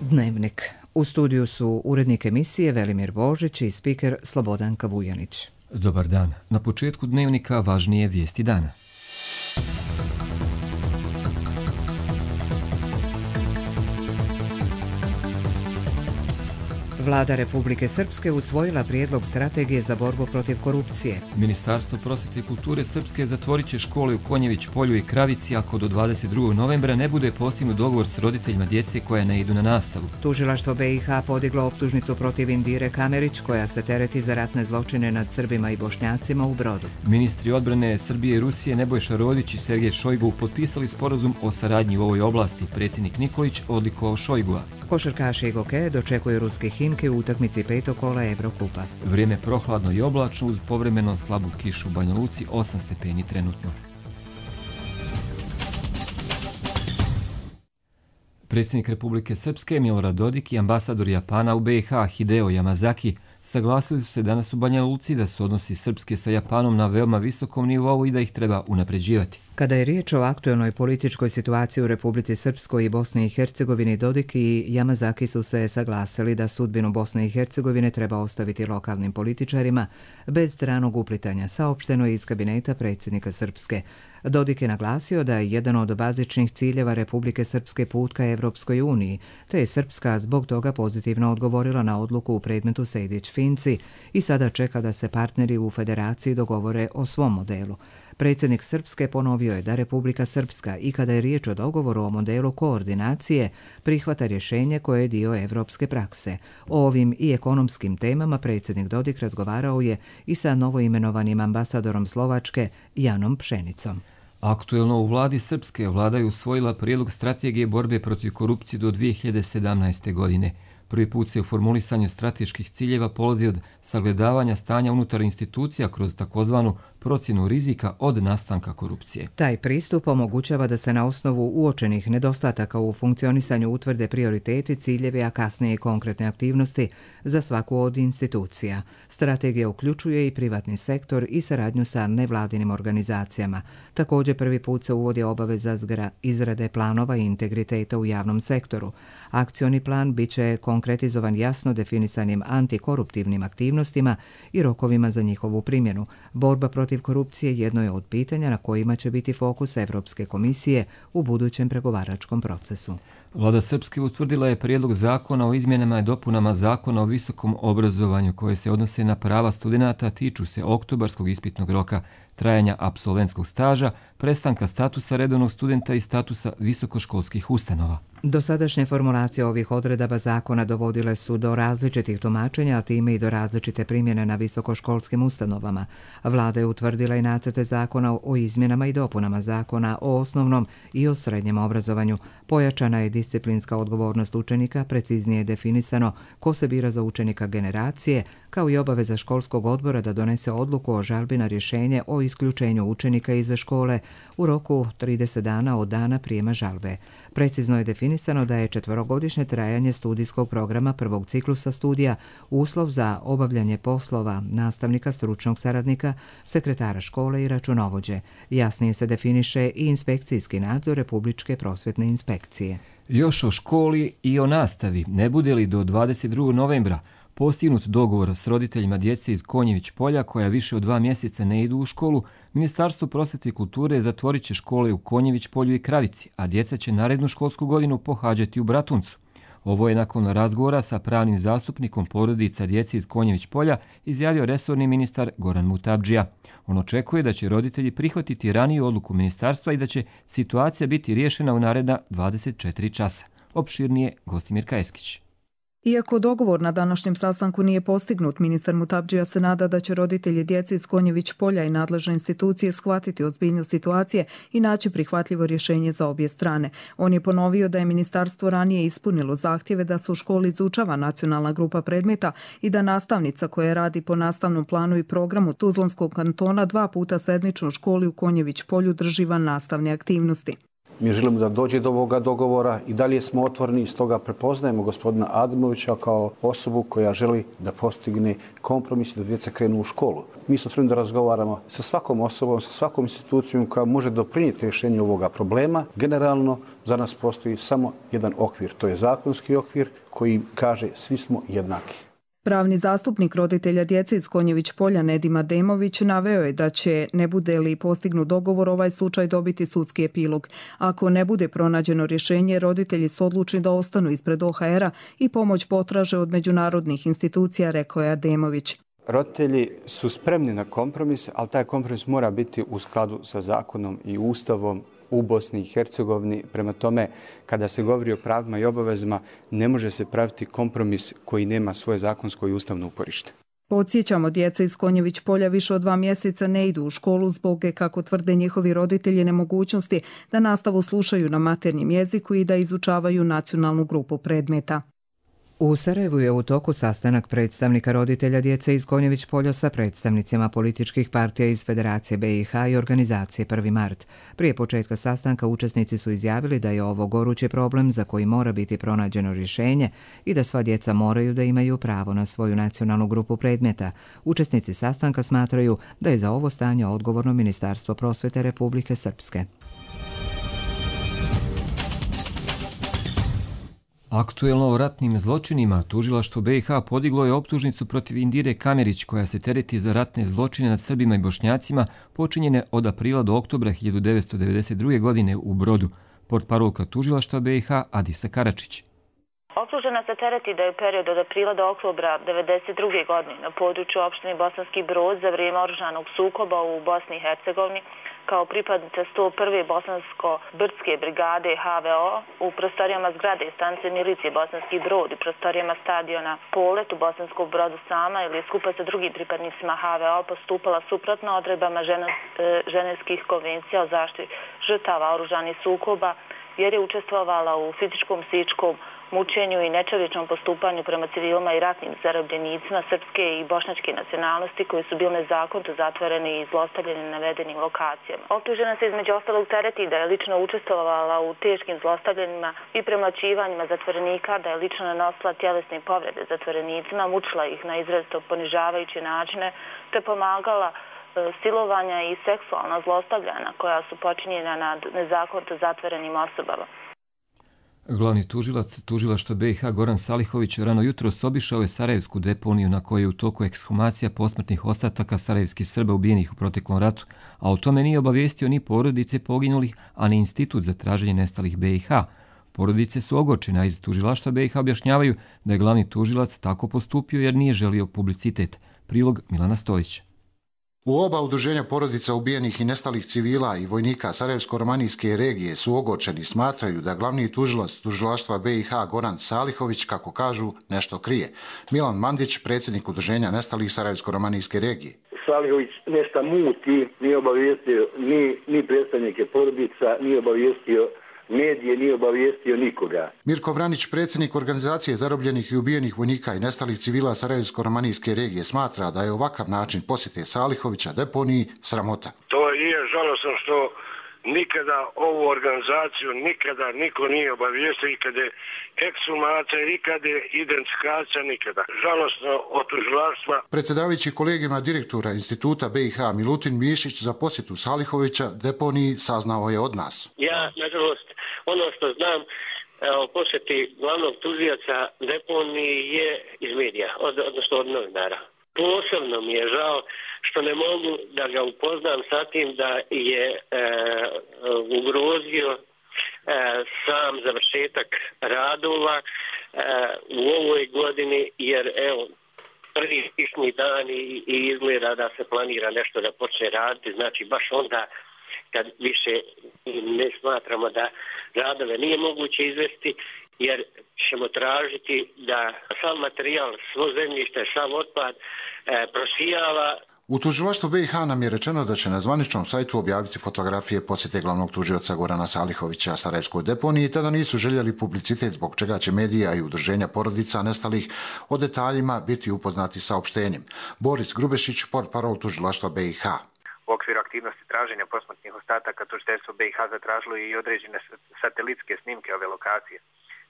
Dnevnik. U studiju su urednik emisije Velimir Božić i spiker Slobodanka Vujanić. Dobar dan. Na početku Dnevnika važnije vijesti dana. Vlada Republike Srpske usvojila prijedlog strategije za borbu protiv korupcije. Ministarstvo prosvjete i kulture Srpske zatvorit će škole u Konjević polju i Kravici ako do 22. novembra ne bude postignut dogovor s roditeljima djece koja ne idu na nastavu. Tužilaštvo BiH podiglo optužnicu protiv Indire Kamerić koja se tereti za ratne zločine nad Srbima i Bošnjacima u Brodu. Ministri odbrane Srbije i Rusije Nebojša Rodić i Sergej Šojgu potpisali sporazum o saradnji u ovoj oblasti. Predsjednik Nikolić odlikovao Šojgua. Košarkaši i gokeje dočekuju ruske Himke u utakmici petog kola Evrokupa. Vrijeme prohladno i oblačno uz povremeno slabu kišu u Banja Luci, 8 stepeni trenutno. Predsjednik Republike Srpske Milorad Dodik i ambasador Japana u BiH Hideo Yamazaki saglasili su se danas u Banja Luci da su odnosi Srpske sa Japanom na veoma visokom nivou i da ih treba unapređivati. Kada je riječ o aktuelnoj političkoj situaciji u Republici Srpskoj i Bosni i Hercegovini, Dodik i Yamazaki su se saglasili da sudbinu Bosne i Hercegovine treba ostaviti lokalnim političarima bez stranog uplitanja, saopšteno je iz kabineta predsjednika Srpske. Dodik je naglasio da je jedan od bazičnih ciljeva Republike Srpske put ka Evropskoj uniji, te je Srpska zbog toga pozitivno odgovorila na odluku u predmetu Sejdić-Finci i sada čeka da se partneri u federaciji dogovore o svom modelu. Predsjednik Srpske ponovio je da Republika Srpska i kada je riječ o dogovoru o modelu koordinacije prihvata rješenje koje je dio evropske prakse. O ovim i ekonomskim temama predsjednik Dodik razgovarao je i sa novoimenovanim ambasadorom Slovačke Janom Pšenicom. Aktuelno u vladi Srpske vlada je usvojila prijedlog strategije borbe protiv korupcije do 2017. godine. Prvi put se u formulisanju strateških ciljeva polazi od sagledavanja stanja unutar institucija kroz takozvanu procjenu rizika od nastanka korupcije. Taj pristup omogućava da se na osnovu uočenih nedostataka u funkcionisanju utvrde prioriteti, ciljevi, a kasnije i konkretne aktivnosti za svaku od institucija. Strategija uključuje i privatni sektor i saradnju sa nevladinim organizacijama. Također prvi put se uvodi obaveza izrade planova i integriteta u javnom sektoru. Akcioni plan biće konkretizovan jasno definisanim antikoruptivnim aktivnostima i rokovima za njihovu primjenu. Borba protiv korupcije jedno je od pitanja na kojima će biti fokus Evropske komisije u budućem pregovaračkom procesu. Vlada Srpske utvrdila je prijedlog zakona o izmjenama i dopunama zakona o visokom obrazovanju koje se odnose na prava studenata, tiču se oktobarskog ispitnog roka, trajanja apsolventskog staža, prestanka statusa redovnog studenta i statusa visokoškolskih ustanova. Dosadašnje formulacije ovih odredaba zakona dovodile su do različitih tumačenja, a time i do različite primjene na visokoškolskim ustanovama. Vlada je utvrdila i nacrte zakona o izmjenama i dopunama zakona o osnovnom i o srednjem obrazovanju. Pojačana je disciplinska odgovornost učenika, preciznije je definisano ko se bira za učenika generacije, kao i obaveza školskog odbora da donese odluku o žalbi na rješenje o isključenju učenika iz škole u roku 30 dana od dana prijema žalbe. Precizno je definisano da je 4-godišnje trajanje studijskog programa prvog ciklusa studija uslov za obavljanje poslova nastavnika, stručnog saradnika, sekretara škole i računovođe. Jasnije se definiše i inspekcijski nadzor Republičke prosvjetne inspekcije. Još o školi i o nastavi. Ne bude li do 22. novembra postignut dogovor s roditeljima djece iz Konjević polja koja više od 2 mjeseca ne idu u školu, Ministarstvo prosvjete i kulture zatvorit će škole u Konjević polju i Kravici, a djeca će narednu školsku godinu pohađati u Bratuncu. Ovo je nakon razgovora sa pravnim zastupnikom porodica djece iz Konjević polja izjavio resorni ministar Goran Mutabdžija. On očekuje da će roditelji prihvatiti raniju odluku ministarstva i da će situacija biti riješena u naredna 24 časa. Opširnije Gostimir Kajeskić. Iako dogovor na današnjem sastanku nije postignut, ministar Mutabdžija se nada da će roditelji djece iz Konjević polja i nadležne institucije shvatiti ozbiljnost situacije i naći prihvatljivo rješenje za obje strane. On je ponovio da je ministarstvo ranije ispunilo zahtjeve da se u školi izučava nacionalna grupa predmeta i da nastavnica koja radi po nastavnom planu i programu Tuzlanskog kantona 2 puta sedmično u školi u Konjević polju drži van nastavne aktivnosti. Mi želimo da dođe do ovoga dogovora i dalje smo otvoreni i stoga prepoznajemo gospodina Adimovića kao osobu koja želi da postigne kompromis da djeca krenu u školu. Mi smo otvoreni da razgovaramo sa svakom osobom, sa svakom institucijom koja može doprinijeti rješenju ovoga problema. Generalno Za nas postoji samo jedan okvir, to je zakonski okvir koji kaže svi smo jednaki. Pravni zastupnik roditelja djece iz Konjević Polja Nedim Ademović naveo je da će, ne bude li postignut dogovor, ovaj slučaj dobiti sudski epilog. Ako ne bude pronađeno rješenje, roditelji su odlučni da ostanu ispred OHR-a i pomoć potraže od međunarodnih institucija, rekao je Ademović. Roditelji su spremni na kompromis, ali taj kompromis mora biti u skladu sa zakonom i ustavom u Bosni i Hercegovini. Prema tome, kada se govori o pravima i obavezama, ne može se praviti kompromis koji nema svoje zakonsko i ustavno uporište. Podsjećamo, djeca iz Konjević Polja više od 2 mjeseca ne idu u školu zbog, kako tvrde njihovi roditelji, nemogućnosti da nastavu slušaju na maternjem jeziku i da izučavaju nacionalnu grupu predmeta. U Sarajevu je u toku sastanak predstavnika roditelja djece iz Konjević Polja sa predstavnicima političkih partija iz Federacije BiH i organizacije 1. mart. Prije početka sastanka učesnici su izjavili da je ovo gorući problem za koji mora biti pronađeno rješenje i da sva djeca moraju da imaju pravo na svoju nacionalnu grupu predmeta. Učesnici sastanka smatraju da je za ovo stanje odgovorno Ministarstvo prosvete Republike Srpske. Aktuelno o ratnim zločinima tužilaštvo BiH podiglo je optužnicu protiv Indire Kamerić koja se tereti za ratne zločine nad Srbima i Bošnjacima počinjene od aprila do oktobra 1992. godine u Brodu. Portparolka tužilaštva BiH Adisa Karačić. Optužena se tereti da je u periodu od aprila do oktobra 1992. godine na području opštine Bosanski Brod za vrijeme oružanog sukoba u Bosni i Hercegovini kao pripadnica 101. Bosansko-Brdske brigade HVO u prostorijama zgrade stanice milicije Bosanski Brod i prostorijama stadiona Polet u Bosanskom Brodu sama ili skupa sa drugim pripadnicima HVO postupala suprotno odredbama ženevskih konvencija o zaštiti žrtava oružanih sukoba jer je učestvovala u fizičkom, psihičkom mučenju i nečovječnom postupanju prema civilima i ratnim zarobljenicima srpske i bošnjačke nacionalnosti koji su bili nezakonito zatvoreni i zlostavljeni na navedenim lokacijama. Optužena se između ostalog tereti da je lično učestvovala u teškim zlostavljanjima i premlaćivanjima zatvorenika, da je lično nanosila tjelesne povrede zatvorenicima, mučila ih na izrazito ponižavajuće načine, te pomagala silovanja i seksualna zlostavljanja koja su počinjena nad nezakonito zatvorenim osobama. Glavni tužilac tužilaštva BiH Goran Salihović rano jutros obišao je sarajevsku deponiju na kojoj je u toku ekshumacija posmrtnih ostataka sarajevskih Srba ubijenih u proteklom ratu, a o tome nije obavijestio ni porodice poginulih, a ni Institut za traženje nestalih BiH. Porodice su ogorčene, a iz tužilaštva BiH objašnjavaju da je glavni tužilac tako postupio jer nije želio publicitet. Prilog Milana Stojić. U oba udruženja porodica ubijenih i nestalih civila i vojnika Sarajevsko-romanijske regije su ogorčeni, smatraju da glavni tužilac tužilaštva BiH Goran Salihović, kako kažu, nešto krije. Milan Mandić, predsjednik udruženja nestalih Sarajevsko-romanijske regije. Salihović nešto muti, nije obavijestio ni predstavnike porodica, nije obavijestio medije, nije obavijestio nikoga. Mirko Vranić, predsjednik organizacije zarobljenih i ubijenih vojnika i nestalih civila Sarajevsko-romanijske regije, smatra da je ovakav način posjete Salihovića deponiji sramota. To je žalosno što nikada ovu organizaciju nikada niko nije obavijestio, ikada je ekshumacija, ikada je identifikacija, nikada. Žalosno od tužilaštva. Predsjedavajući kolegijima direktora Instituta BiH Milutin Mišić za posjetu Salihovića deponiji saznao je od nas. Ja, nažalost, ono što znam o posjeti glavnog tužioca deponiji je iz medija, odnosno od novinara. Posebno mi je žao što ne mogu da ga upoznam sa tim da je ugrozio sam završetak radova u ovoj godini, jer evo, prvi kišni dan i izgleda da se planira nešto da počne raditi, znači baš onda kad više ne smatramo da radove nije moguće izvesti, jer ćemo tražiti da sav materijal, svo zemljište, sav otpad prosijava. U tužilaštvu BiH nam je rečeno da će na zvaničnom sajtu objaviti fotografije posjete glavnog tužioca Gorana Salihovića Sarajevskoj deponiji, te da nisu željeli publicitet, zbog čega će medija i udruženja porodica nestalih o detaljima biti upoznati saopštenjem. Boris Grubešić, portparol tužilaštva BiH. U okviru aktivnosti traženja posmrtnih ostataka tužiteljstvo BiH zatražilo i određene satelitske snimke ove lokacije.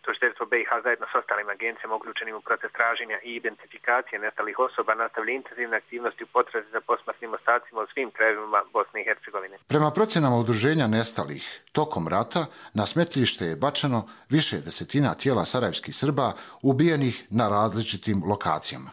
Tužiteljstvo BiH zajedno s ostalim agencijama uključenim u proces traženja i identifikacije nestalih osoba nastavlja intenzivne aktivnosti u potrazi za posmrtnim ostacima u svim krajevima Bosne i Hercegovine. Prema procjenama udruženja nestalih, tokom rata na smetlište je bačeno više desetina tijela sarajevskih Srba ubijenih na različitim lokacijama.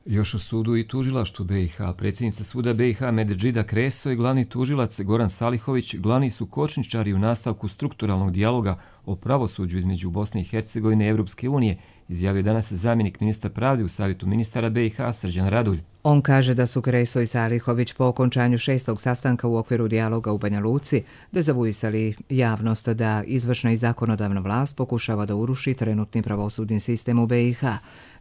Još u sudu i tužilaštvu BiH, predsjednica suda BiH Medžida Kreso i glavni tužilac Goran Salihović glavni su kočničari u nastavku strukturalnog dijaloga o pravosuđu između Bosne i Hercegovine i Europske unije, izjavio danas zamjenik ministra pravde u Savjetu ministara BiH Srđan Radulj. On kaže da su Kreso i Salihović po okončanju 6. sastanka u okviru dijaloga u Banja Luci dezavuisali javnost da izvršna i zakonodavna vlast pokušava da uruši trenutni pravosudni sistem u BiH.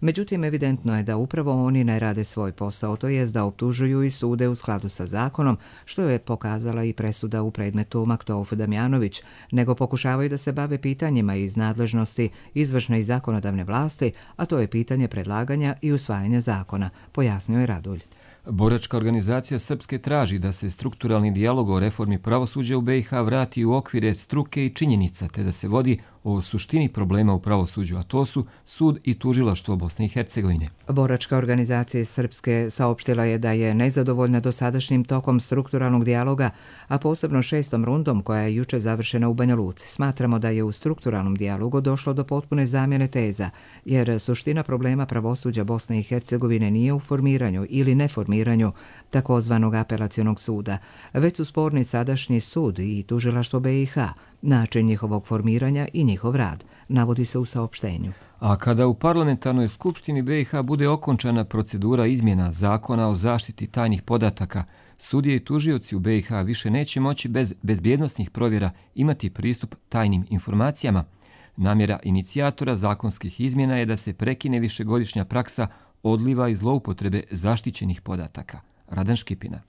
Međutim, evidentno je da upravo oni ne rade svoj posao, to jest da optužuju i sude u skladu sa zakonom, što je pokazala i presuda u predmetu Maktouf Damjanović, nego pokušavaju da se bave pitanjima iz nadležnosti izvršne i zakonodavne vlasti, a to je pitanje predlaganja i usvajanja zakona, pojasnio je Radulj. Boračka organizacija Srpske traži da se strukturalni dijalog o reformi pravosuđa u BiH vrati u okvire struke i činjenica, te da se vodi o suštini problema u pravosuđu, a to su sud i tužilaštvo Bosne i Hercegovine. Boračka organizacija Srpske saopštila je da je nezadovoljna dosadašnjim tokom strukturalnog dijaloga, a posebno 6. rundom koja je juče završena u Banja Luci. Smatramo da je u strukturalnom dijalogu došlo do potpune zamjene teza, jer suština problema pravosuđa Bosne i Hercegovine nije u formiranju ili neformiranju takozvanog apelacionog suda, već su sporni sadašnji sud i tužilaštvo BiH, način njihovog formiranja i njihov rad, navodi se u saopštenju. A kada u parlamentarnoj skupštini BiH bude okončana procedura izmjena zakona o zaštiti tajnih podataka, sudije i tužioci u BiH više neće moći bez bezbjednosnih provjera imati pristup tajnim informacijama. Namjera inicijatora zakonskih izmjena je da se prekine višegodišnja praksa odliva i zloupotrebe zaštićenih podataka. Radan Škipina.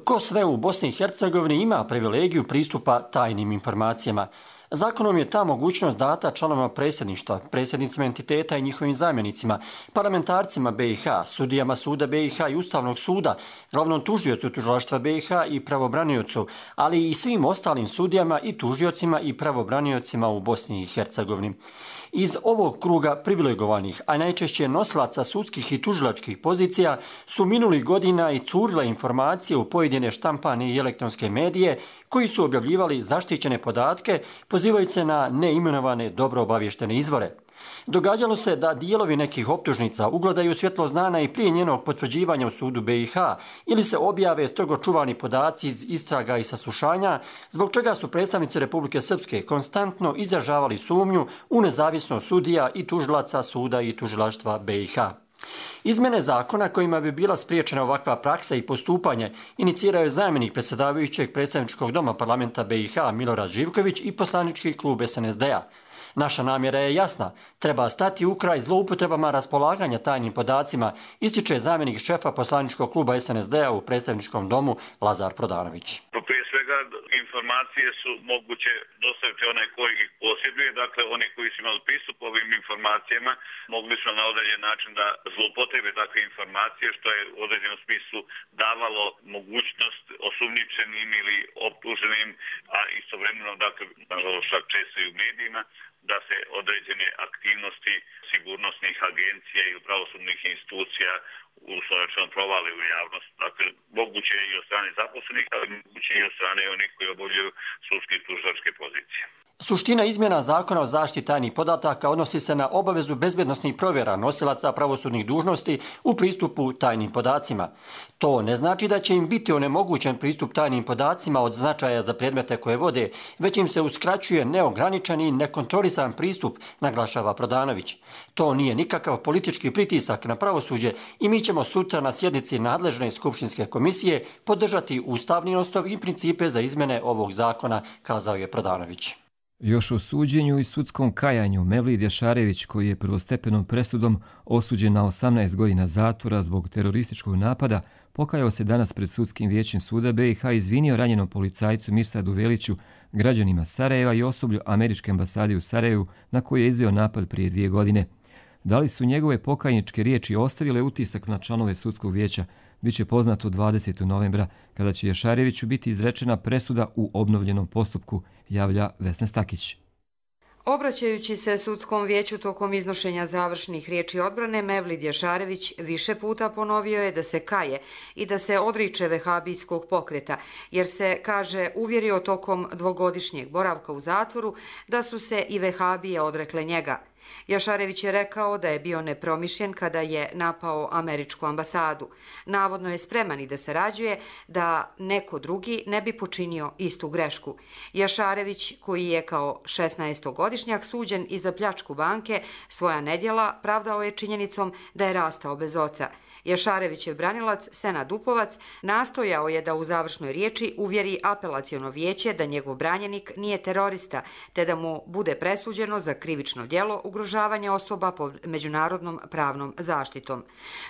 Ko sve u Bosni i Hercegovini ima privilegiju pristupa tajnim informacijama? Zakonom je ta mogućnost data članovima predsjedništva, predsjednicima entiteta i njihovim zamjenicima, parlamentarcima BiH, sudijama suda BiH i Ustavnog suda, glavnom tužiocu tužilaštva BiH i pravobraniocu, ali i svim ostalim sudijama i tužiocima i pravobraniocima u Bosni i Hercegovini. Iz ovog kruga privilegovanih, a najčešće nosilaca sudskih i tužilačkih pozicija su minulih godina i curile informacije u pojedine štampane i elektronske medije koji su objavljivali zaštićene podatke pozivajući se na neimenovane dobro obavještene izvore. Događalo se da dijelovi nekih optužnica ugledaju svjetlo znana i prije njenog potvrđivanja u sudu BiH ili se objave strogo čuvani podaci iz istraga i saslušanja, zbog čega su predstavnici Republike Srpske konstantno izražavali sumnju u nezavisnost sudija i tužilaca suda i tužilaštva BiH. Izmjene zakona kojima bi bila spriječena ovakva praksa i postupanje inicirao je zamjenik predsjedavajućeg predstavničkog doma parlamenta BiH Milorad Živković i poslanički klub SNSD-a. Naša namjera je jasna. Treba stati u kraj zloupotrebama raspolaganja tajnim podacima, ističe zamjenik šefa poslaničkog kluba SNSD-a u predstavničkom domu Lazar Prodanović. Prije svega informacije su moguće dostaviti onaj koji ih posjeduje, dakle oni koji su imali pristup ovim informacijama mogli su na određen način da zloupotrebe takve informacije, što je u određenom smislu davalo mogućnost osumnjičenim ili optuženim, a istovremeno, dakle, nažalost čak često i u medijima, da se određene aktivnosti sigurnosnih agencija i pravosudnih institucija uslovno provale u javnost. Dakle, moguće je i od strane zaposlenih, ali moguće i od strane onih koji obavljaju sudske i tužilačke pozicije. Suština izmjena zakona o zaštiti tajnih podataka odnosi se na obavezu bezbjednosnih provjera nosilaca pravosudnih dužnosti u pristupu tajnim podacima. To ne znači da će im biti onemogućen pristup tajnim podacima od značaja za predmete koje vode, već im se uskraćuje neograničen i nekontrolisan pristup, naglašava Prodanović. To nije nikakav politički pritisak na pravosuđe i mi ćemo sutra na sjednici nadležne skupštinske komisije podržati ustavni osnov i principe za izmjene ovog zakona, kazao je Prodanović. Još o suđenju i sudskom kajanju Mevlid Jašarević, koji je prvostepenom presudom osuđen na 18 godina zatvora zbog terorističkog napada, pokajao se danas pred sudskim vijećem suda BiH i izvinio ranjenom policajcu Mirsadu Veliću, građanima Sarajeva i osoblju američke ambasade u Sarajevu na koji je izveo napad prije 2 godine. Da li su njegove pokajničke riječi ostavile utisak na članove sudskog vijeća, biće poznato 20. novembra, kada će Jašareviću biti izrečena presuda u obnovljenom postupku, javlja Vesna Stakić. Obraćajući se sudskom vijeću tokom iznošenja završnih riječi odbrane, Mevlid Jašarević više puta ponovio je da se kaje i da se odriče vehabijskog pokreta, jer se, kaže, uvjerio tokom dvogodišnjeg boravka u zatvoru da su se i vehabije odrekle njega. Jašarević je rekao da je bio nepromišljen kada je napao američku ambasadu. Navodno je spreman i da sarađuje da neko drugi ne bi počinio istu grešku. Jašarević, koji je kao 16-godišnjak suđen i za pljačku banke, svoja nedjela pravdao je činjenicom da je rastao bez oca. Jašarevićev branilac Senad Upovac nastojao je da u završnoj riječi uvjeri apelaciono vijeće da njegov branjenik nije terorista, te da mu bude presuđeno za krivično djelo ugrožavanja osoba pod međunarodnom pravnom zaštitom.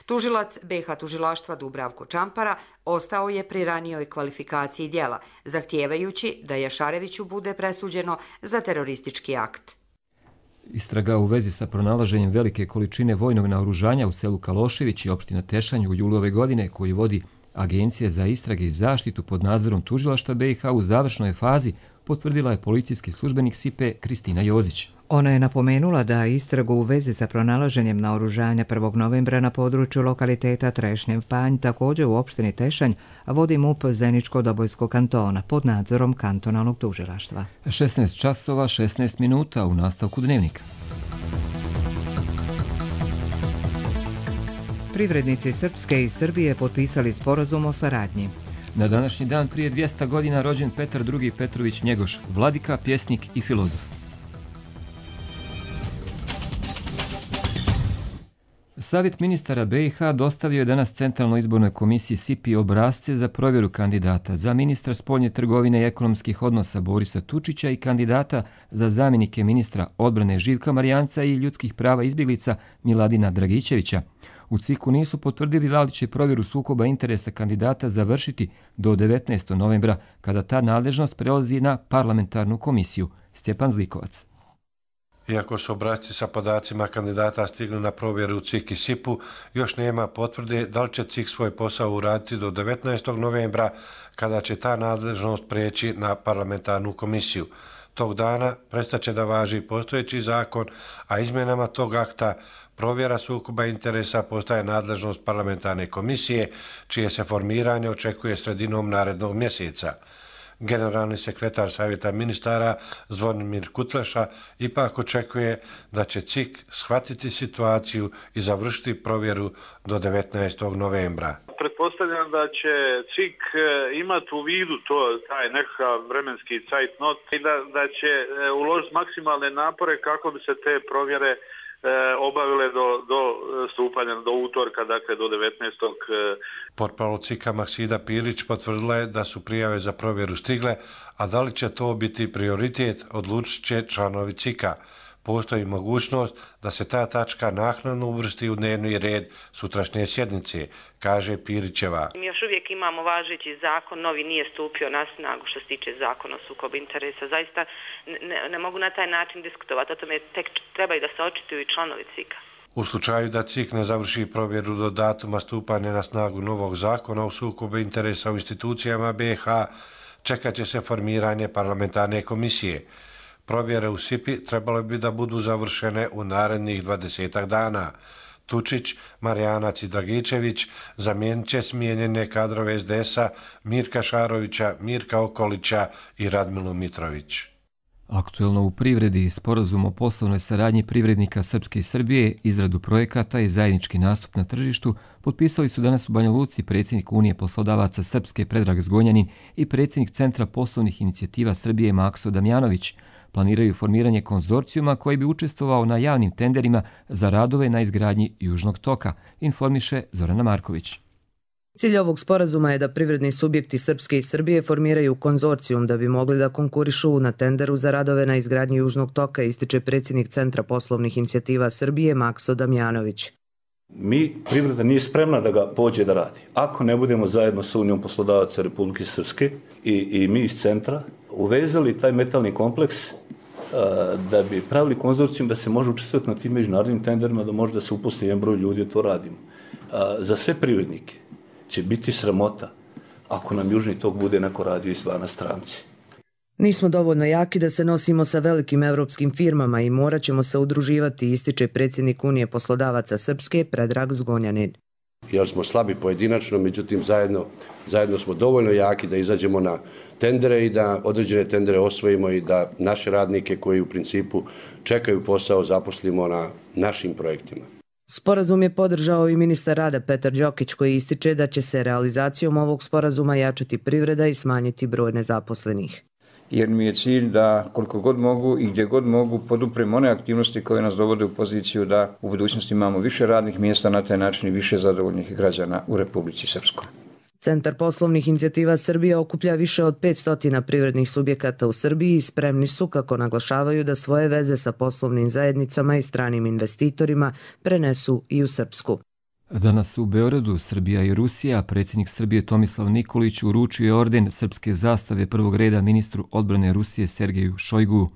Tužilac BiH tužilaštva Dubravko Čampara ostao je pri ranijoj kvalifikaciji djela, zahtijevajući da Jašareviću bude presuđeno za teroristički akt. Istraga u vezi sa pronalaženjem velike količine vojnog naoružanja u selu Kalošević i opština Tešanj u julu ove godine, koji vodi Agencija za istrage i zaštitu pod nadzorom tužilaštva BiH, u završnoj fazi, potvrdila je policijski službenik SIPE Kristina Jozić. Ona je napomenula da istragu u vezi sa pronalaženjem naoružanja 1. novembra na području lokaliteta Trešnjev Panj, također u opštini Tešanj, vodi MUP Zeničko-Dobojskog kantona pod nadzorom kantonalnog tužilaštva. 16 časova, 16 minuta u nastavku dnevnika. Privrednici Srpske i Srbije potpisali sporazum o saradnji. Na današnji dan prije 200 godina rođen Petar II. Petrović Njegoš, vladika, pjesnik i filozof. Savjet ministara BiH dostavio je danas Centralnoj izbornoj komisiji SIPI obrasce za provjeru kandidata za ministra spoljne trgovine i ekonomskih odnosa Borisa Tučića i kandidata za zamjenike ministra odbrane Živka Marijanca i ljudskih prava izbjeglica Miladina Dragićevića. U CIK-u nisu potvrdili da li će provjeru sukoba interesa kandidata završiti do 19. novembra, kada ta nadležnost prelazi na parlamentarnu komisiju. Stjepan Zlikovac. Iako su obrasci sa podacima kandidata stigli na provjeru u CIK i SIP-u, još nema potvrde da li će CIK svoj posao uraditi do 19. novembra, kada će ta nadležnost preći na parlamentarnu komisiju. Tog dana prestaće da važi postojeći zakon, a izmjenama tog akta provjera sukoba interesa postaje nadležnost parlamentarne komisije, čije se formiranje očekuje sredinom narednog mjeseca. Generalni sekretar Savjeta ministara Zvonimir Kutleša ipak očekuje da će CIK shvatiti situaciju i završiti provjeru do 19. novembra. Pretpostavljam da će CIK imati u vidu taj nekakav vremenski zeitnot i da će uložiti maksimalne napore kako bi se te provjere obavile do stupanja, do utorka, dakle do 19. Portparol CIK-a Maksida Pilić potvrdila je da su prijave za provjeru stigle, a da li će to biti prioritet, odlučit će članovi CIK-a. Postoji mogućnost da se ta tačka naknadno uvrsti u dnevni red sutrašnje sjednice, kaže Pirićeva. Mi još uvijek imamo važeći zakon, novi nije stupio na snagu što se tiče zakona o sukobu interesa. Zaista ne mogu na taj način diskutovati, o tome tek trebaju da se očituju i članovi CIK-a. U slučaju da CIK ne završi provjeru do datuma stupanja na snagu novog zakona o sukobu interesa u institucijama BiH, čekat će se formiranje parlamentarne komisije. Provjere u SIPI trebalo bi da budu završene u narednih 20 dana. Tučić, Marijanac i Dragičević zamijenit će smijenjene kadrove SDS-a Mirka Šarovića, Mirka Okolića i Radmilu Mitrović. Aktuelno u privredi, sporazum o poslovnoj saradnji privrednika Srpske i Srbije, izradu projekata i zajednički nastup na tržištu potpisali su danas u Banja Luci predsjednik Unije poslodavaca Srpske Predrag Zgonjanin i predsjednik Centra poslovnih inicijativa Srbije Makso Damjanović. Planiraju formiranje konzorcijuma koji bi učestvovao na javnim tenderima za radove na izgradnji Južnog toka, informiše Zorana Marković. Cilj ovog sporazuma je da privredni subjekti Srpske i Srbije formiraju konzorcijum da bi mogli da konkurišu na tenderu za radove na izgradnji Južnog toka, ističe predsjednik Centra poslovnih inicijativa Srbije Makso Damjanović. Privreda nije spremna da ga pođe da radi. Ako ne budemo zajedno sa Unijom poslodavaca Republike Srpske i mi iz centra uvezali taj metalni kompleks da bi pravili konzorcijum da se može učestvovati na tim međunarodnim tenderima, da može da se uposli jedan broj ljudi, to radimo. Za sve privrednike će biti sramota ako nam Južni tok bude neko radio izvana stranci. Nismo dovoljno jaki da se nosimo sa velikim evropskim firmama i morat ćemo se udruživati, ističe predsjednik Unije poslodavaca Srpske Predrag Zgonjanin. Jer smo slabi pojedinačno, međutim zajedno smo dovoljno jaki da izađemo na tendere i da određene tendere osvojimo i da naše radnike koji u principu čekaju posao zaposlimo na našim projektima. Sporazum je podržao i ministar rada Petar Đokić koji ističe da će se realizacijom ovog sporazuma jačati privreda i smanjiti broj nezaposlenih. Jer mi je cilj da koliko god mogu i gdje god mogu podupremo one aktivnosti koje nas dovode u poziciju da u budućnosti imamo više radnih mjesta, na taj način i više zadovoljnih građana u Republici Srpskoj. Centar poslovnih inicijativa Srbije okuplja više od 500 privrednih subjekata u Srbiji i spremni su, kako naglašavaju, da svoje veze sa poslovnim zajednicama i stranim investitorima prenesu i u Srpsku. Danas u Beogradu Srbija i Rusija predsjednik Srbije Tomislav Nikolić uručio je orden srpske zastave prvog reda ministru odbrane Rusije Sergeju Šojgu.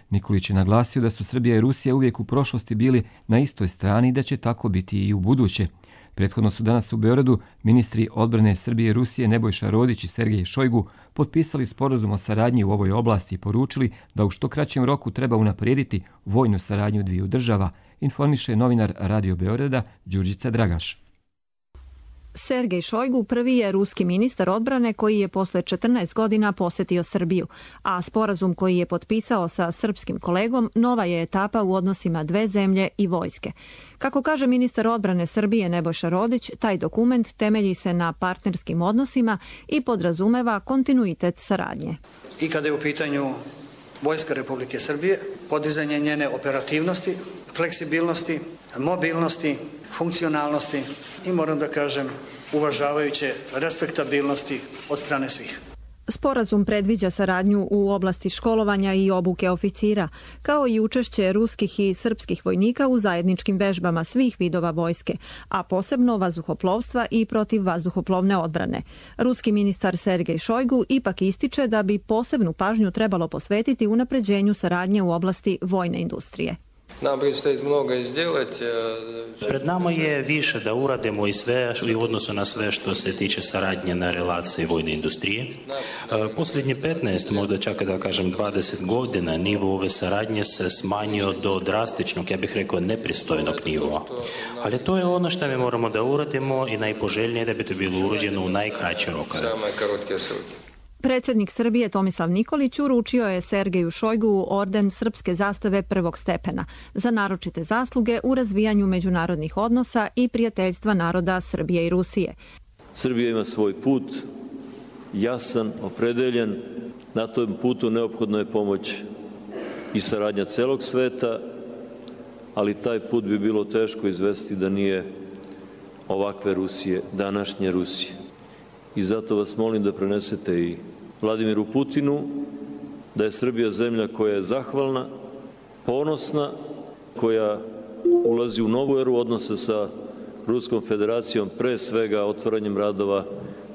Nikolić je naglasio da su Srbija i Rusija uvijek u prošlosti bili na istoj strani i da će tako biti i u buduće. Prethodno su danas u Beogradu ministri odbrane Srbije i Rusije Nebojša Rodić i Sergej Šojgu potpisali sporazum o saradnji u ovoj oblasti i poručili da u što kraćem roku treba unaprijediti vojnu saradnju dviju država, informiše novinar Radio Beograda Đurđica Dragaš. Sergej Šojgu prvi je ruski ministar odbrane koji je posle 14 godina posjetio Srbiju, a sporazum koji je potpisao sa srpskim kolegom nova je etapa u odnosima dve zemlje i vojske. Kako kaže ministar odbrane Srbije Nebojša Rodić, taj dokument temelji se na partnerskim odnosima i podrazumeva kontinuitet saradnje. I kada je u pitanju Vojska Republike Srbije, podizanje njene operativnosti, fleksibilnosti, mobilnosti, funkcionalnosti i moram da kažem uvažavajuće respektabilnosti od strane svih. Sporazum predviđa saradnju u oblasti školovanja i obuke oficira, kao i učešće ruskih i srpskih vojnika u zajedničkim vežbama svih vidova vojske, a posebno vazduhoplovstva i protivvazduhoplovne odbrane. Ruski ministar Sergej Šojgu ipak ističe da bi posebnu pažnju trebalo posvetiti unapređenju saradnje u oblasti vojne industrije. Pred nama je više da uradimo i sve u odnosu na sve što se tiče saradnje na relaciji vojne industrije. Posljednje 15, možda čak da kažem 20 godina, nivo ove saradnje se smanjio do drastičnog, ja bih rekao, nepristojnog nivoa. Ali to je ono što mi moramo da uradimo i najpoželjnije da bi to bilo urađeno u najkraće rokove. Predsjednik Srbije Tomislav Nikolić uručio je Sergeju Šojgu orden srpske zastave prvog stepena za naročite zasluge u razvijanju međunarodnih odnosa i prijateljstva naroda Srbije i Rusije. Srbija ima svoj put, jasan, opredeljen. Na tom putu neophodna je pomoć i saradnja celog sveta, ali taj put bi bilo teško izvesti da nije ovakve Rusije, današnje Rusije. I zato vas molim da prenesete i Vladimiru Putinu da je Srbija zemlja koja je zahvalna, ponosna, koja ulazi u novu eru odnosa sa Ruskom federacijom, pre svega otvaranjem radova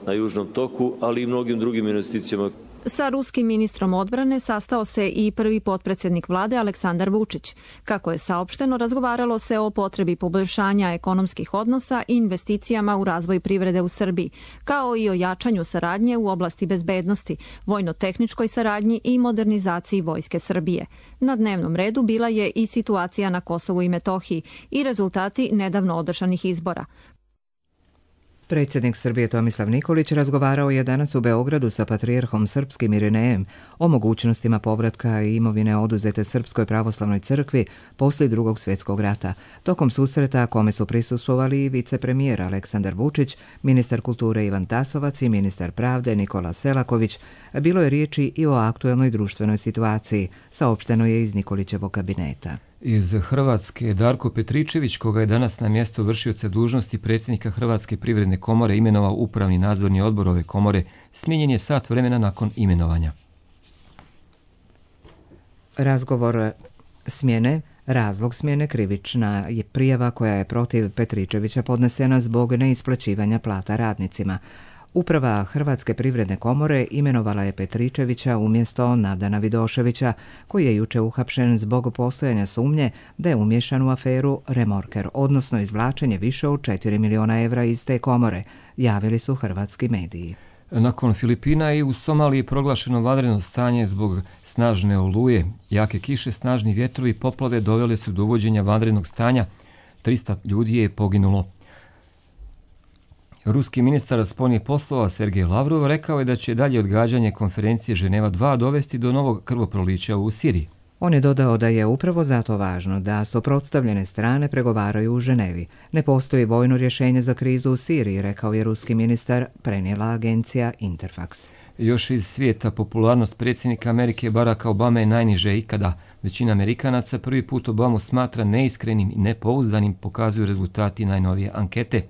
na Južnom toku, ali i mnogim drugim investicijama. Sa ruskim ministrom odbrane sastao se i prvi potpredsjednik vlade Aleksandar Vučić. Kako je saopšteno, razgovaralo se o potrebi poboljšanja ekonomskih odnosa i investicijama u razvoj privrede u Srbiji, kao i o jačanju saradnje u oblasti bezbednosti, vojno-tehničkoj saradnji i modernizaciji Vojske Srbije. Na dnevnom redu bila je i situacija na Kosovu i Metohiji i rezultati nedavno održanih izbora. Predsjednik Srbije Tomislav Nikolić razgovarao je danas u Beogradu sa patrijarhom srpskim Irinejem o mogućnostima povratka imovine oduzete Srpskoj pravoslavnoj crkvi poslije Drugog svjetskog rata. Tokom susreta kome su prisustvovali i vicepremijer Aleksandar Vučić, ministar kulture Ivan Tasovac i ministar pravde Nikola Selaković, bilo je riječi i o aktuelnoj društvenoj situaciji, saopšteno je iz Nikolićevog kabineta. Iz Hrvatske Darko Petričević, koga je danas na mjesto vršioca dužnosti predsjednika Hrvatske privredne komore imenovao upravni nadzorni odbor ove komore, smijenjen je sat vremena nakon imenovanja. Razlog smjene krivična je prijava koja je protiv Petričevića podnesena zbog neisplaćivanja plata radnicima. Uprava Hrvatske privredne komore imenovala je Petričevića umjesto Nadana Vidoševića, koji je juče uhapšen zbog postojanja sumnje da je umješan u aferu Remorker, odnosno izvlačenje više od 4 miliona evra iz te komore, javili su hrvatski mediji. Nakon Filipina i u Somaliji proglašeno vanredno stanje zbog snažne oluje. Jake kiše, snažni vjetrovi i poplave dovele su do uvođenja vanrednog stanja. 300 ljudi je poginulo. Ruski ministar spoljnih poslova Sergej Lavrov rekao je da će dalje odgađanje konferencije Ženeva 2 dovesti do novog krvoprolića u Siriji. On je dodao da je upravo zato važno da suprotstavljene strane pregovaraju u Ženevi. Ne postoji vojno rješenje za krizu u Siriji, rekao je ruski ministar, prenijela agencija Interfax. Još iz svijeta popularnost predsjednika Amerike Baracka Obame je najniže ikada. Većina Amerikanaca prvi put Obamu smatra neiskrenim i nepouzdanim, pokazuju rezultati najnovije ankete.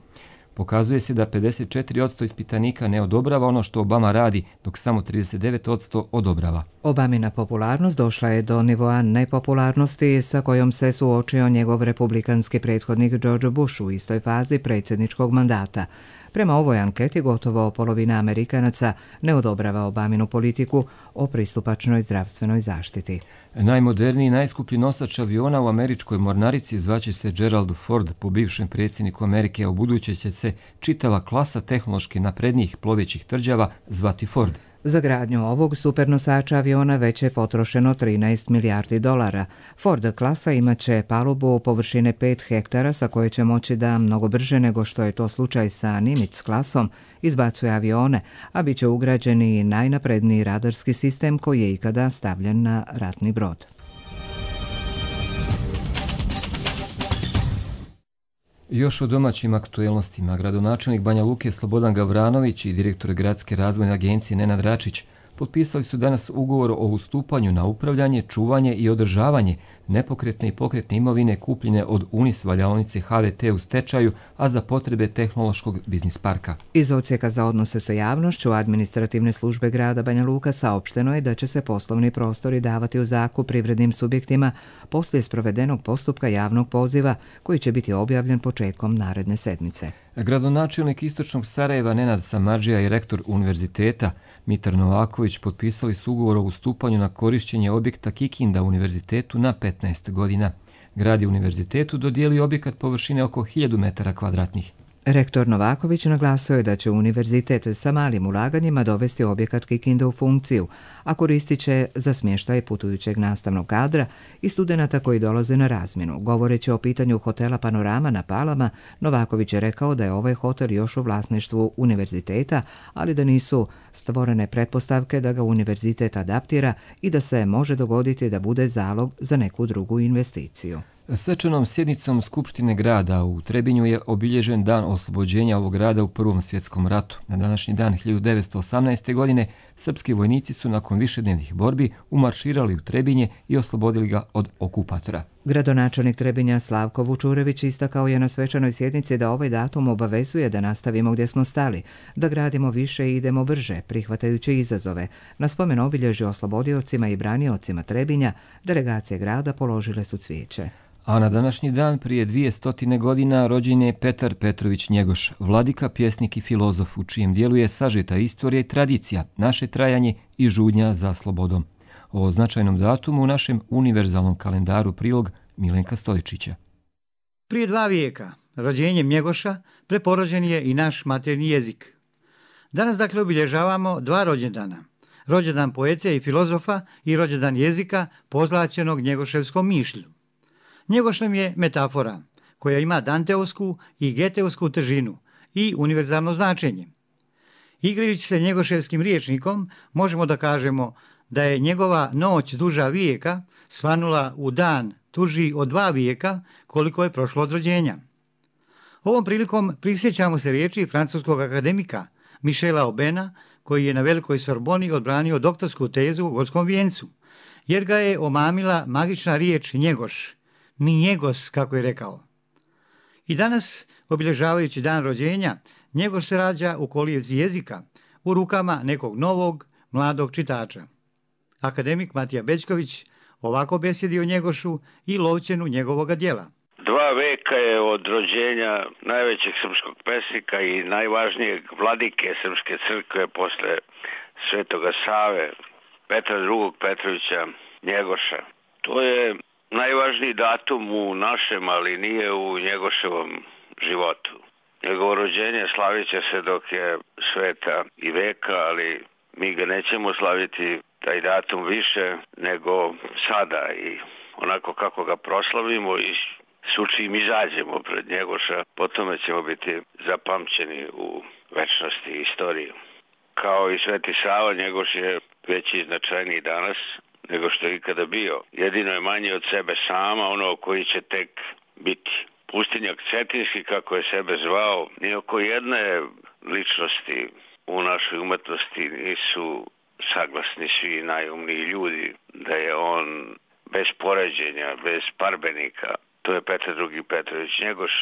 Pokazuje se da 54% ispitanika ne odobrava ono što Obama radi, dok samo 39% odobrava. Obamina popularnost došla je do nivoa nepopularnosti sa kojom se suočio njegov republikanski prethodnik George Bush u istoj fazi predsjedničkog mandata. Prema ovoj anketi gotovo polovina Amerikanaca ne odobrava Obaminu politiku o pristupačnoj zdravstvenoj zaštiti. Najmoderniji i najskuplji nosač aviona u američkoj mornarici zvaće se Gerald Ford, po bivšem predsjedniku Amerike, a u buduće će se čitava klasa tehnološki naprednijih plovećih tvrđava zvati Ford. Za gradnju ovog supernosača aviona već je potrošeno 13 milijardi dolara. Ford klasa imaće palubu površine 5 hektara sa koje će moći da mnogo brže nego što je to slučaj sa Nimitz klasom izbacuje avione, a bit će ugrađen i najnapredniji radarski sistem koji je ikada stavljen na ratni brod. Još o domaćim aktuelnostima, gradonačelnik Banja Luke Slobodan Gavranović i direktor Gradske razvojne agencije Nenad Račić potpisali su danas ugovor o ustupanju na upravljanje, čuvanje i održavanje nepokretne i pokretne imovine kupljene od Unis valjaonice HVT u stečaju, a za potrebe tehnološkog biznis parka. Iz odsjeka za odnose sa javnošću administrativne službe grada Banja Luka saopšteno je da će se poslovni prostori davati u zakup privrednim subjektima poslije sprovedenog postupka javnog poziva koji će biti objavljen početkom naredne sedmice. Gradonačelnik Istočnog Sarajeva Nenad Samardžija i rektor univerziteta Mitar Novaković potpisali su ugovor o ustupanju na korišćenje objekta Kikinda univerzitetu na 15 godina. Grad je univerzitetu dodijelio objekat površine oko 1000 metara kvadratnih. Rektor Novaković naglasio je da će univerzitet sa malim ulaganjima dovesti objekat Kikinda u funkciju, a koristit će za smještaj putujućeg nastavnog kadra i studenata koji dolaze na razmjenu. Govoreći o pitanju hotela Panorama na Palama, Novaković je rekao da je ovaj hotel još u vlasništvu univerziteta, ali da nisu stvorene pretpostavke da ga univerzitet adaptira i da se može dogoditi da bude zalog za neku drugu investiciju. Svečanom sjednicom Skupštine grada u Trebinju je obilježen dan oslobođenja ovog grada u Prvom svjetskom ratu. Na današnji dan 1918. godine srpski vojnici su nakon višednevnih borbi umarširali u Trebinje i oslobodili ga od okupatora. Gradonačelnik Trebinja Slavko Vučurević istakao je na svečanoj sjednici da ovaj datum obavezuje da nastavimo gdje smo stali, da gradimo više i idemo brže, prihvatajući izazove. Na spomen obilježju oslobodiocima i braniocima Trebinja delegacije grada položile su cvijeće. A na današnji dan prije 200 godina rođen je Petar Petrović Njegoš, vladika, pjesnik i filozof, u čijem dijelu je sažeta istorija i tradicija, naše trajanje i žudnja za slobodom. O značajnom datumu u našem univerzalnom kalendaru prilog Milenka Stojičića. Prije 2 vijeka, rođenjem Njegoša, preporođen je i naš maternji jezik. Danas dakle obilježavamo 2 rođendana. Rođendan poete i filozofa i rođendan jezika pozlaćenog njegoševskom mišlju. Njegoš nam je metafora koja ima danteovsku i geteovsku težinu i univerzalno značenje. Igrajući se njegoševskim rječnikom, možemo da kažemo da je njegova noć duža vijeka svanula u dan duži od 2 vijeka koliko je prošlo od rođenja. Ovom prilikom prisjećamo se riječi francuskog akademika Michela Aubena, koji je na Velikoj Sorboni odbranio doktorsku tezu u Gorskom vijencu, jer ga je omamila magična riječ njegoš, ni njegos, kako je rekao. I danas, obilježavajući dan rođenja, Njegoš se rađa u kolijevci jezika, u rukama nekog novog, mladog čitača. Akademik Matija Bećković ovako besjedi o Njegošu i lovčenu njegovoga djela. 2 veka je od rođenja najvećeg srpskog pesnika i najvažnijeg vladike Srpske crkve posle Svetoga Save, Petra II. Petrovića Njegoša. To je najvažniji datum u našem, ali nije u Njegoševom životu. Njegovo rođenje slavit će se dok je sveta i veka, ali mi ga nećemo slaviti taj datum više nego sada i onako kako ga proslavimo i čim izađemo pred Njegoša, po tome ćemo biti zapamćeni u večnosti i istoriji. Kao i Sveti Sava, Njegoš je veći i značajniji danas nego što je ikada bio. Jedino je manje od sebe sama, ono koji će tek biti. Pustinjak Cetinski, kako je sebe zvao, ni oko jedne ličnosti u našoj umetnosti nisu saglasni svi najumniji ljudi da je on bez poređenja, bez parbenika. To je Petar II. Petrović Njegoš.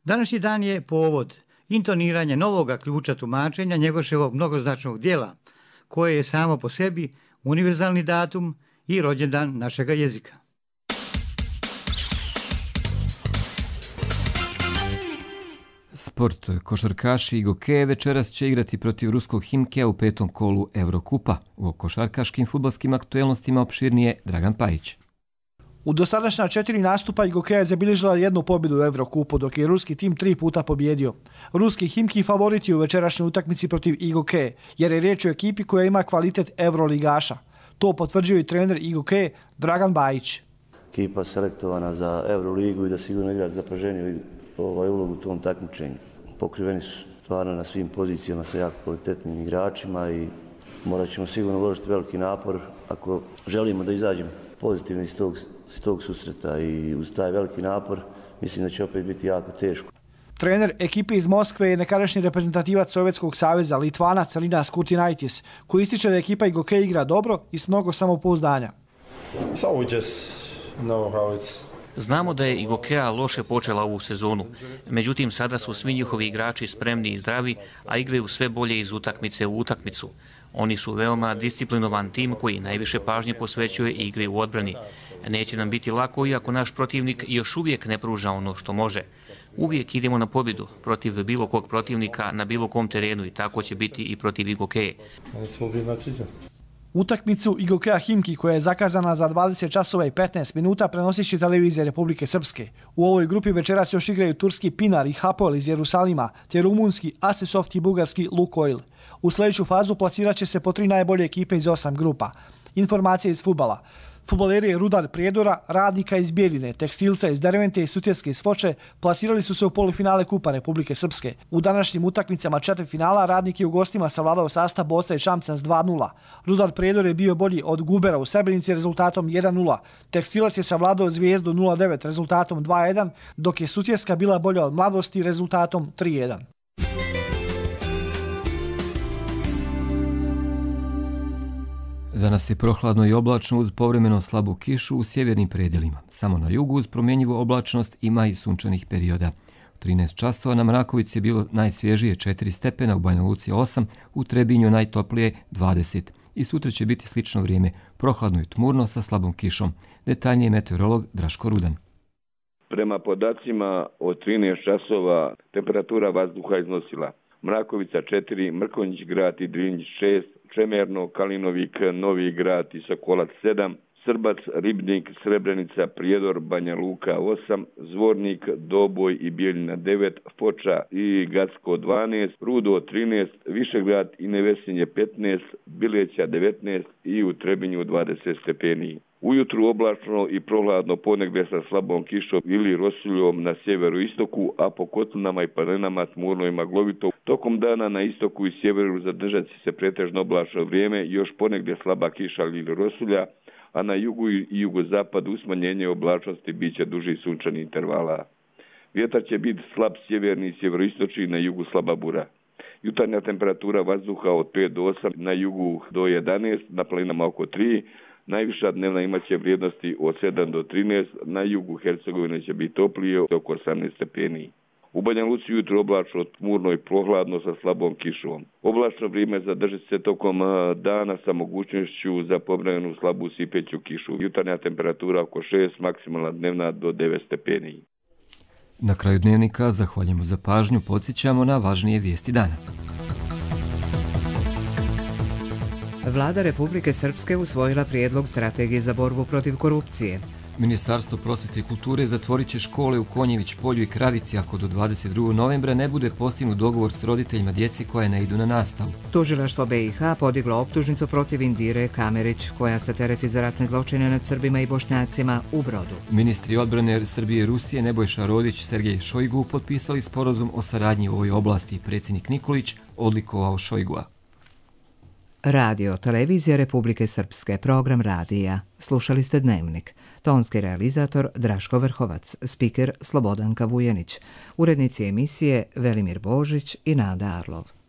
Današnji dan je povod intoniranja novoga ključa tumačenja Njegoševog mnogoznačnog dijela, koje je samo po sebi univerzalni datum i rođendan našega jezika. Sport. Košarkaši i Gokeje večeras će igrati protiv ruskog Himkija u 5. kolu Evrokupa. U košarkaškim fudbalskim aktuelnostima opširnije Dragan Pajić. U dosadašnja 4 nastupa Gokeja je zabilježila jednu pobjedu u Evrokupu, dok je ruski tim 3 puta pobjedio. Ruski Himki favoriti u večerašnjoj utakmici protiv Gokeje, jer je riječ o ekipi koja ima kvalitet Evroligaša. To potvrđuje i trener Gokeje Dragan Bajić. Ekipa selektovana za Evroligu i da sigurno igra zapaženiju ulogu u tom takmičenju. Pokriveni su stvarno na svim pozicijama sa jako kvalitetnim igračima i morat ćemo sigurno uložiti veliki napor ako želimo da izađemo pozitivno iz tog susreta i uz taj veliki napor mislim da će opet biti jako teško. Trener ekipe iz Moskve je nekadašnji reprezentativac Sovjetskog saveza Litvanac Linas Kurtinaitis, koji ističe da ekipa Gokeja igra dobro i s mnogo samopouzdanja. Znamo da je Gokeja loše počela ovu sezonu, međutim sada su svi njihovi igrači spremni i zdravi, a igraju sve bolje iz utakmice u utakmicu. Oni su veoma disciplinovan tim koji najviše pažnje posvećuje igri u odbrani. Neće nam biti lako iako naš protivnik još uvijek ne pruža ono što može. Uvijek idemo na pobjedu protiv bilo kog protivnika na bilo kom terenu i tako će biti i protiv Gokeje. Utakmicu Gokeja Himki, koja je zakazana za 20 časova i 15 minuta, prenosit će televizija Republike Srpske. U ovoj grupi večeras još igraju turski Pinar i Hapoel iz Jerusalima, te rumunski Asisoft i bugarski Lukoil. U sljedeću fazu plasirat će se po 3 najbolje ekipe iz 8 grupa. Informacije iz fudbala. Fudbaleri Rudar Prijedora, Radnika iz Bjeljine, Tekstilca iz Dervente i Sutjeske iz Foče plasirali su se u polufinale Kupa Republike Srpske. U današnjim utakmicama četvrtfinala Radnik je u gostima savladao sastav Boca i Šamcan s 2:0. Rudar Prijedor je bio bolji od Gubera u Srebrenici rezultatom 1:0. Tekstilac je savladao Zvijezdu 0:9 rezultatom 2:1, dok je Sutjeska bila bolja od Mladosti rezultatom 3:1. Danas je prohladno i oblačno uz povremeno slabu kišu u sjevernim predjelima. Samo na jugu uz promjenjivu oblačnost ima i sunčanih perioda. U 13 časova na Mrakovici je bilo najsvježije 4 stepena, u Banja Luci 8, u Trebinju najtoplije 20. I sutra će biti slično vrijeme, prohladno i tmurno sa slabom kišom. Detaljnije meteorolog Draško Rudan. Prema podacima od 13 časova temperatura vazduha iznosila Mrakovica 4, Mrkonjić grad i Drinjić 6, Čemerno, Kalinovik, Novi grad i Sokolac 7, Srbac, Ribnik, Srebrenica, Prijedor, Banja Luka 8, Zvornik, Doboj i Bijeljina 9, Foča i Gacko 12, Rudo 13, Višegrad i Nevesinje 15, Bileća 19 i u Trebinju 20 stepeni. Ujutru oblačno i prohladno ponegdje sa slabom kišom ili rosuljom na sjeveru istoku, a po kotlinama i planinama tmurno i maglovito. Tokom dana na istoku i sjeveru zadržat će se pretežno oblačno vrijeme, još ponegdje slaba kiša ili rosulja, a na jugu i jugozapadu smanjenje oblačnosti bit će duži sunčani intervala. Vjetar će biti slab sjeverni i sjeveroistočni, na jugu slaba bura. Jutarnja temperatura vazduha od 5 do 8, na jugu do 11, na planinama oko 3, najviša dnevna imaće vrijednosti od 7 do 13, na jugu Hercegovine će biti toplije oko 18 stepeni. U Banja Luci jutro oblačno, tmurno i prohladno sa slabom kišom. Oblačno vrijeme zadržit se tokom dana sa mogućnošću za povremenu slabu sipeću kišu. Jutarnja temperatura oko 6, maksimalna dnevna do 9 stepeni. Na kraju dnevnika zahvaljujemo za pažnju, podsjećamo na važnije vijesti dana. Vlada Republike Srpske usvojila prijedlog strategije za borbu protiv korupcije. Ministarstvo prosvete i kulture zatvorit će škole u Konjević polju i Kravici ako do 22. novembra ne bude postignut dogovor s roditeljima djeci koje ne idu na nastavu. Tužilaštvo BiH podiglo optužnicu protiv Indire Kamerić, koja se tereti za ratne zločine nad Srbima i Bošnjacima u Brodu. Ministri odbrane Srbije i Rusije Nebojša Rodić i Sergej Šojgu potpisali sporazum o saradnji u ovoj oblasti. Predsjednik Nikolić odlikovao Šojgua. Radio, televizija Republike Srpske, program radija. Slušali ste Dnevnik. Tonski realizator Draško Vrhovac, spiker Slobodanka Vujenić, urednici emisije Velimir Božić i Nada Arlov.